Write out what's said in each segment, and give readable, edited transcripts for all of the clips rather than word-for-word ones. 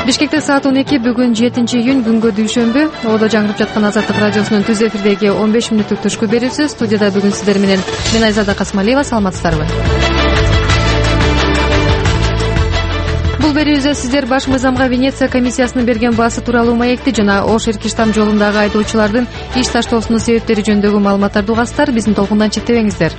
Бишкекте саат 12 бүгүн 7-июнь күнгө дүйшөмбү. Оодо жаңырып жаткан Азаттык радиосунун түз эфирдеги 15 мүнөттүк түшкү берүүсү. Студияда бүгүн сиздер менен мен Айзада Касмалиева. Саламатсыздарбы? Бул берүүбүздө сиздер баш мыйзамга Венеция комиссиясынын берген баасы тууралуу маекти жана Ош-Иркиштам жолундагы айдоочулардын иш таштоосунун себептери жөнүндөгү маалыматтарды угасыздар. Биздин толкундан чектебеңиздер.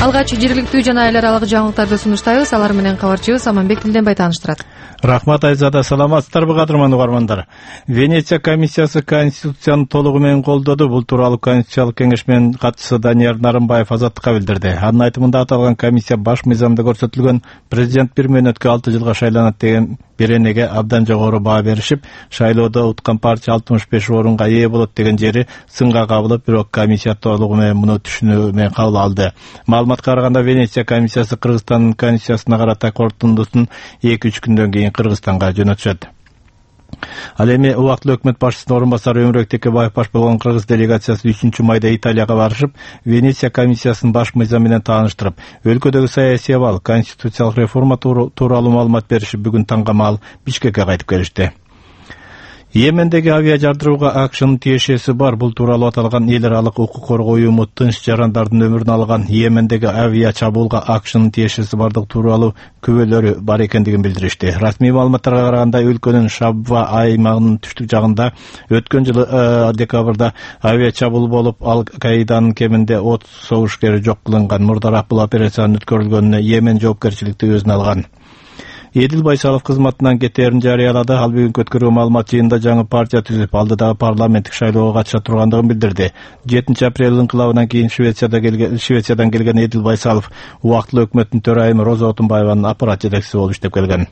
Алгач жергиликтүү жана эл аралык жаңылыктарды сунуштайбыз. Алар менен кабарчыбыз Аманбек Тилденбай тааныштырат. Рахмат Айзада, саламатсыздарбы кадырман угармандар. Венеция комиссиясы Конституцияны толугу менен колдоду. Бул тууралуу Конституциялык кеңеш менен катчысы Данияр Нарымбаев Азаттыкка билдирди. Анын айтымында аталган комиссия баш мыйзамда көрсөтүлгөн президент 1 мөөнөткө 6 жылга шайланат деген беренеге абдан жогору баа беришип, шайлоодо уткан партия 65 орунга ээ болот деген жери сынга кабылып, бирок комиссия толугу менен муну түшүнүү менен кабыл алды. Маалыматка караганда Венеция комиссиясы Кыргызстандын конституциясына карата корутундусун 2-3 күндөн кийин Кыргызстанга жөнөтүшөт. Ал эми убактылуу өкмөт башчысынын орун басары Өмүрбек Текебаев баш болгон кыргыз делегациясы 3 майда Италияга барышып, Венеция комиссиясынын баш мыйзамы менен тааныштырып, өлкөдөгү саясий абал, конституциялык реформа тууралуу маалымат беришип, бүгүн таңга маал Бишкекке кайтып келишти. Йемендеги авиа жардырууга АКШнын тиешеси бар. Бул тууралуу аталган эл аралык укук коргоо уюму тынч жарандардын өмүрүн алган Йемендеги авиа чабуулга АКШнын тиешеси бардыгы тууралуу күбөлөрү бар экендигин билдиришти. Расмий маалыматтарга караганда өлкөнүн Шабва аймагынын түштүк жагында өткөн жылы декабрда авиа чабуул болуп, Ал-Каиданын кеминде 30 согушкери жок кылынган. Мурдараак бул операциянын өткөрүлгөнүнө Йемен жоопкерчиликти өзүнө алган. Эдил Байсалов кызматынан кетээрин жарыялады. Ал бүгүнкү өткөргөн маалымат жыйынында жаңы партия түзүп, алдыдагы парламенттик шайлоого катыша тургандыгын билдирди. 7 апрель инкылабынан кийин Швециядан келген Эдил Байсалов убактылуу өкмөттүн төрайымы Роза Отунбаеванын аппарат жетекчиси болуп иштеп келген.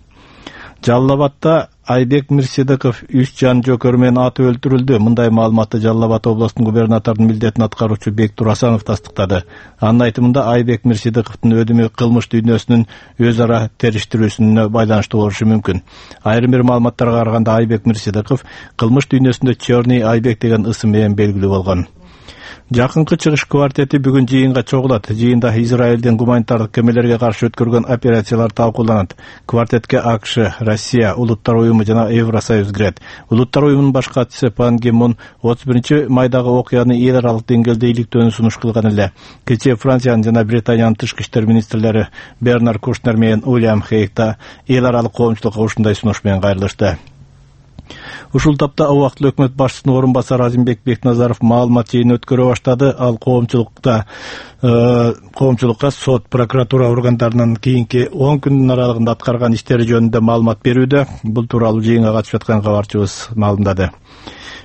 Жалал Абадда Айбек Мирсидыков 3 жан жокөрү менен атып өлтүрүлдү. Мындай маалыматты Жалал Абад областынын губернаторунун милдетин аткаруучу Бектур Асанов тастыктады. Анын айтымында Айбек Мирсидыковдун өдүмү кылмыш дүйнөсүнүн өз ара териштирүүсүнө байланыштуу болушу мүмкүн. Айрым бир маалыматтарга караганда Айбек Мирсидыков кылмыш дүйнөсүндө Чёрный Айбек деген ысым менен белгилүү болгон. Жакынкы чыгыш квартети бүгүн жыйынга чогулат. Жыйында Израилдин гуманитардык кемелерге каршы өткөргөн операциялар талкууланат. Квартетке АКШ, Россия, Улуттар уюму жана Евросоюз кирет. Улуттар уюмунун баш катчысы Пан Ги Мун 31 майдагы окуяны эл аралык деңгээлде иликтөөнү сунуш кылган эле. Кечээ Франциянын жана Британиянын тышкы иштер министрлери Бернар Кушнер менен Уильям Хейгта эл аралык коомчулукка ушундай сунуш менен кайрылышты. Ушул тапта убактылуу өкмөт башчысынын орун басары Азимбек Бекназаров маалымат жыйын өткөрө баштады. Ал коомчулукка сот, прокуратура органдарынын кийинки 10 күндүн аралыгында аткарган иштери жөнүндө маалымат берүүдө. Бул тууралуу жыйынга катышып аткан кабарчыбыз маалымдады.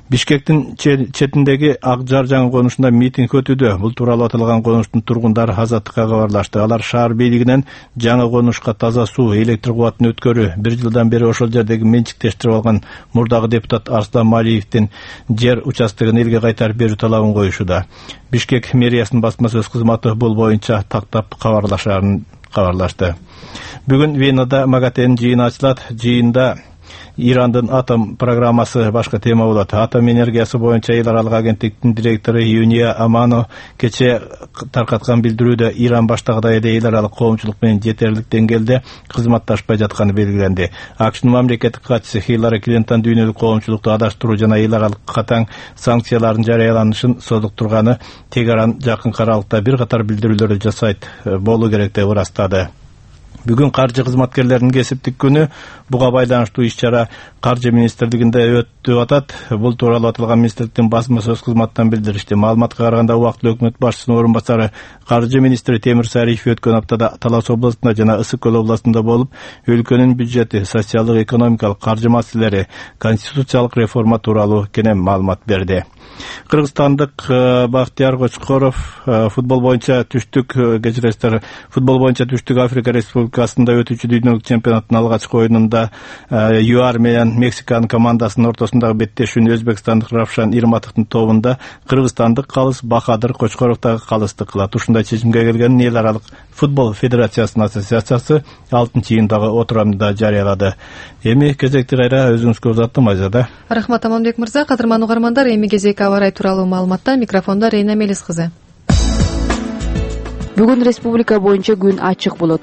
Бишкектин четиндеги Ак Жар жаңы конушунда митинг өтүүдө. Бул тууралуу аталган конуштун тургундары Азаттыкка кабарлашты. Алар шаар бийлигинен жаңы конушка таза суу, электр кубатын өткөрүү, 1 жылдан бери ошол жердеги менчиктештирип алган мурдагы депутат Арслан Малиевдин жер участогун элге кайтарып берүү талабын коюшууда. Бишкек мэриясынын басма сөз кызматы бул боюнча тактап кабарлашты. Бүгүн Венада МАГАТЭнин жыйыны ачылат. Жыйында Ирандын атом программасы башка тема болот. Атом энергиясы боюнча эл аралык агенттиктин директору Юния Амано кечээ таркаткан билдирүүдө Иран баштагыдай эле эл аралык коомчулук менен жетерлик деңгээлде кызматташпай жатканы белгиленди. АКШнын мамлекеттик катчысы Хиллари Клинтон дүйнөлүк коомчулукту адаштыруу жана эл аралык катаң санкциялардын жарыяланышын созуктурганы, Тегеран жакын аралыкта бир катар билдирүүлөрдү жасайт болуу керек деп ырастады. Бүгүн каржы кызматкерлеринин кесиптик күнү. Буга байланыштуу иш-чара Каржы министрлигинде өтүп атат. Бул тууралуу аталган министрликтин басма сөз кызматынан билдиришти. Маалыматка караганда убактылуу өкмөт башчысынын орун басары каржы министри Темир Сариев өткөн аптада Талас областында жана Ысык Көл областында болуп, өлкөнүн бюджети, социалдык, экономикалык, каржы маселелери, конституциялык реформа тууралуу кенен маалымат берди. Кыргызстандык Бактияр Кочкоров футбол боюнча түштүк Африка Республикасында өтүүчү дүйнөлүк чемпионаттын алгачкы оюнунда ЮАР менен Мексиканын командасынын ортосундагы беттешүүнү өзбекстандык Равшан Ирматовдун тобунда кыргызстандык калыс Бахадыр Кочкоров дагы калысты кылат. Ушундай чечимге келген эл аралык футбол федерациясынын ассоциациясы 6-жыйындагы отурамында жарыялады. Эми кезекти кайра өзүңүзгө узаттым Айзада. Рахмат Аманбек мырза. Кадырман угармандар, эми кезек аба ырайы тууралуу маалыматта. Микрофондо Рейна Мелис кызы. Бүгүн республика боюнча күн ачык болот.